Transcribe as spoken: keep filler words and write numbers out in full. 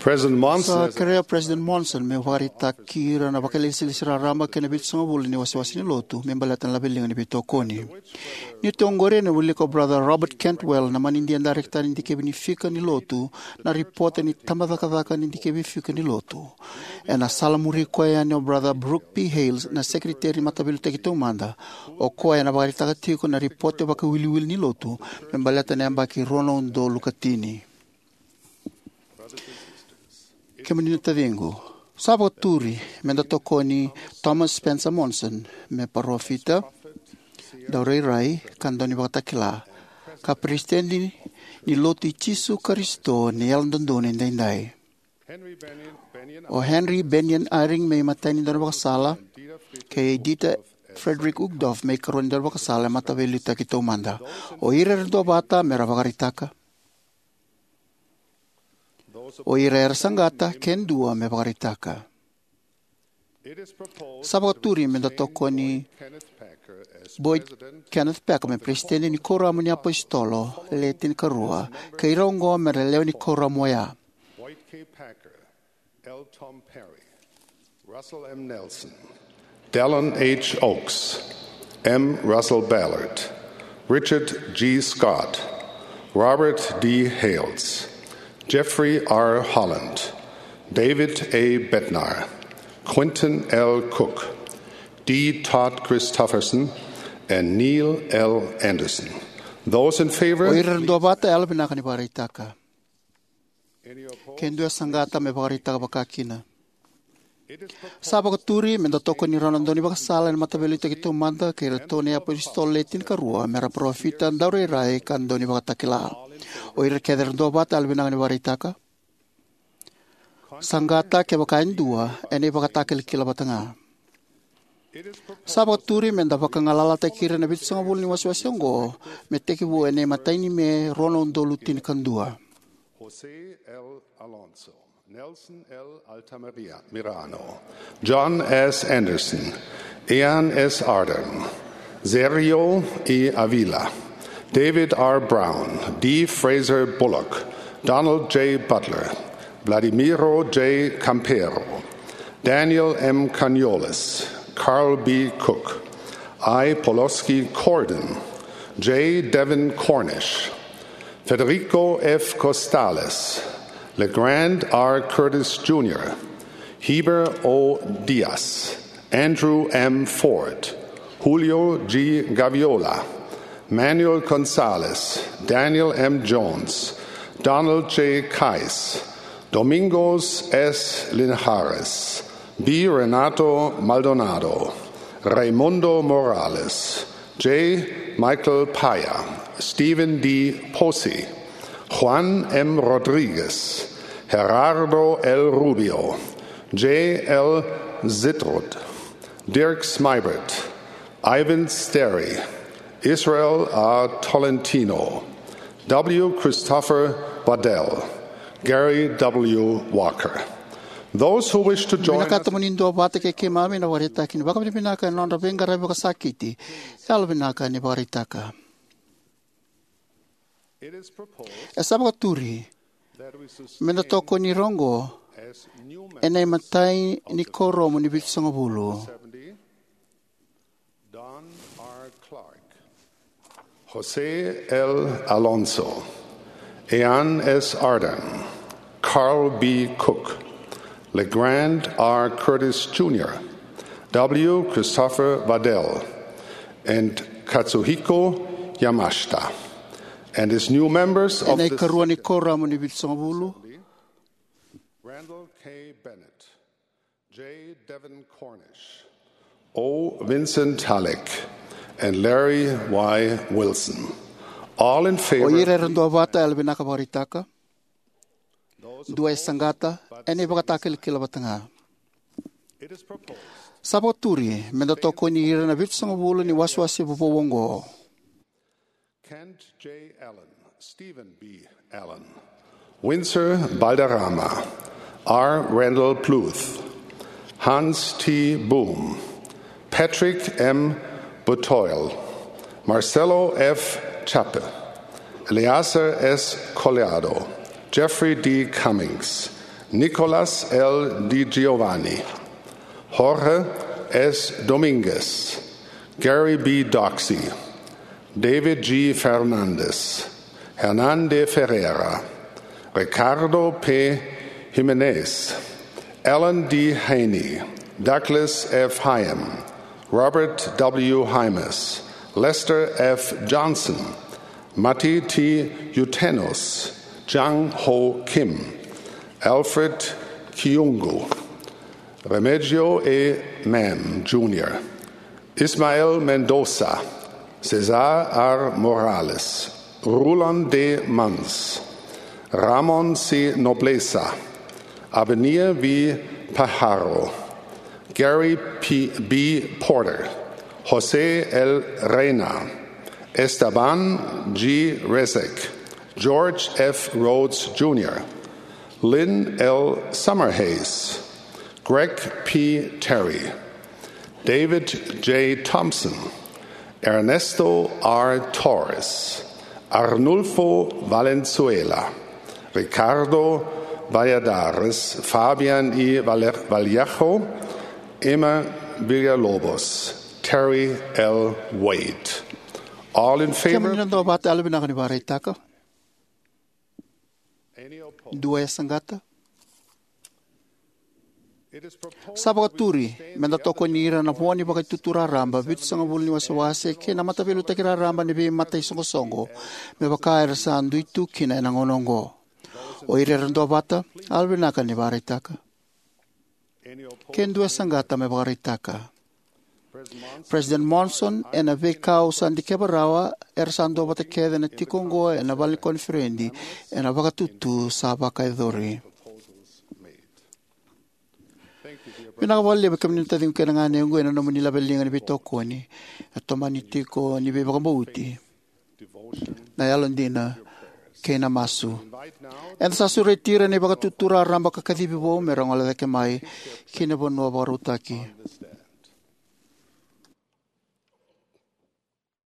President Monson Sa has kerea o President Monson me vakaraitaki ira na vakailesilesi raraba kei na vitusagavulu ni wasewase ni lotu me baleta na laveliga ni veitokoni. Ni tu oqori ena wilika o Brother Robert Cantwell, na manidia darekita ni dikevi ni fika ni lotu, na ripote ni tabacakacaka ni dikevi fika ni lotu. Ena sala muri koya yani o Brother Brooke P. Hales, na sekeriteri ni Mataveiliutaki Taumada, o koya ena vakaraitaka tiko na ripote vakawiliwili ni lotu me baleta na yabaki rua na udolu ka tini. Kemuni na taciqu, sa vakaturi me da tokoni Thomas Spencer Monson me parofita, daurairai, ka daunivakatakila, ka peresitedi ni Lotu i Jisu Karisito ni Yalododonu Edaidai. O Henry Bennion Eyring me imatai ni daunivakasala, kei Dieter Friedrich Uchtdorf me ikarua ni daunivakasala e Mataveiliutaki Taumada. O ira era duavata me ra vakaraitaka. O ira era saqata, ke dua, me vakaraitaka. Sa vakaturi me da tokoni Boyd Kenneth Packer me peresitedi ni Kuoramu ni iApositolo Le Tinikarua, kei ira oqo me ra lewe ni kuoramu oya: Boyd K. Packer, L. Tom Perry, Russell M. Nelson, Dallin H. Oaks, M. Russell Ballard, Richard G. Scott, Robert D. Hales, Jeffrey R. Holland, David A. Bednar, Quentin L. Cook, D. Todd Christofferson, and Neil L. Andersen. Those in favor, O ira era duavata, yalovinaka ni vakaraitaka. Ke dua e saqata, me vakaraitaka vakakina. Sa vakaturi me da tokoni rau na daunivakasala ena Mataveiliutaki Taumada kei iratou na iApositolo Le Tinikarua me ra parofita, daurairai, ka daunivakatakila. O ira kece era duavata, yalovinaka ni vakaraitaka. Saqata, kevaka e dua, ena ivakatakilakila vata ga. Sa vakaturi me da vakagalalataki ira na vitusagavulu ni wasewase oqo me tekivu ena imatai ni Me, rua na udolu tinikadua. Jose L. Alonso, Nelson L. Altamirano, John S. Anderson, Ian S. Ardern, Sergio E. Avila, David R. Brown, D. Fraser Bullock, Donald J. Butler, Vladimiro J. Campero, Daniel M. Cañoles, Carl B. Cook, I. Poloski Cordon, J. Devin Cornish, Federico F. Costales, LeGrand R. Curtis Junior, Heber O. Diaz, Andrew M. Ford, Julio G. Gaviola, Manuel Gonzalez, Daniel M. Jones, Donald J. Kais, Domingos S. Linhares, B. Renato Maldonado, Raimundo Morales, J. Michael Paya, Stephen D. Posey, Juan M. Rodriguez, Gerardo L. Rubio, J. L. Zitrud, Dirk Smeibert, Ivan Sterry, Israel A. Tolentino, W. Christopher Waddell, Gary W. Walker. Those who wish to join Vinakata us mo ni duavata kei keimami ena ivakaraitaki ni vakavinavinaka ena nodra veiqaravi vakasakiti, yalovinaka ni vakaraitaka. E sa vakaturi me da tokoni ira oqo ena imatai ni kuoramu ni vitusagavulu: Don R. Clark, Jose L. Alonso, Ian S. Ardern, Carl B. Cook, LeGrand R. Curtis Junior, W. Christopher Waddell, and Katsuhiko Yamashita, and his new members of ena the ikarua ni kuoramu ni vitusagavulu: Randall K. Bennett, J. Devin Cornish, O. Vincent Halik, and Larry Y. Wilson. All in favor. O ira era duavata, yalovinaka vakaraitaka. Dua e saqata, ena ivakatakilakila vata ga. Sa vakaturi me da tokoni ira na vitusagavulu ni wasewase vovou oqo: Kent J. Allen, Stephen B. Allen, Windsor Balderrama, R. Randall Bluth, Hans T. Boom, Patrick M. Butoil, Marcelo F. Chappe, Eleazar S. Collado, Jeffrey D. Cummings, Nicolas L. Di Giovanni, Jorge S. Dominguez, Gary B. Doxey, David G. Fernandez, Hernan de Ferreira, Ricardo P. Jimenez, Alan D. Haney, Douglas F. Hyam, Robert W. Hymas, Lester F. Johnson, Matti T. Utenos, Jang Ho Kim, Alfred Kiungu, Remigio E. Mann Junior, Ismael Mendoza, Cesar R. Morales, Rulon D. Munns, Ramon C. Nobleza, Abenia V. Pajaro, Gary P. B. Porter, Jose L. Reina, Esteban G. Resek, George F. Rhodes Junior, Lynn L. Summerhays, Greg P. Terry, David J. Thompson, Ernesto R. Torres, Arnulfo Valenzuela, Ricardo Valladares, Fabian E. Valle- Vallejo, Emma Villalobos, Terry L. Wade. All in favor? Kemuni na duavata, yalovinaka ni vakaraitaka. Dua e saqata? Sa vakaturi me da tokoni ira na vo ni Vakaitutu Raraba vitusagavulu ni wasewase kei na Mataveiliutaki Raraba ni Veimataisoqosoqo, me vaka era sa dui tu kina ena gauna oqo. O ira era duavata, yalovinaka ni vakaraitaka. Ke dua e saqata, me vakaraitaka. President Monson, ena veika au sa dikeva rawa, era sa duavata kece na tiko oqo ena vale ni koniferedi ena vakatutu sa vakayacori. Vinaka vakalevu, kemuni na taciqu kei na ganequ, ena nomuni laveliga ni veitokoni, na tomani tiko ni veivakabauti, na yalodina, kei na masu. Eda sa sureti ira na iVakatutu Raraba ka kacivi vou me ra gole cake mai ki na vanua vakarautaki.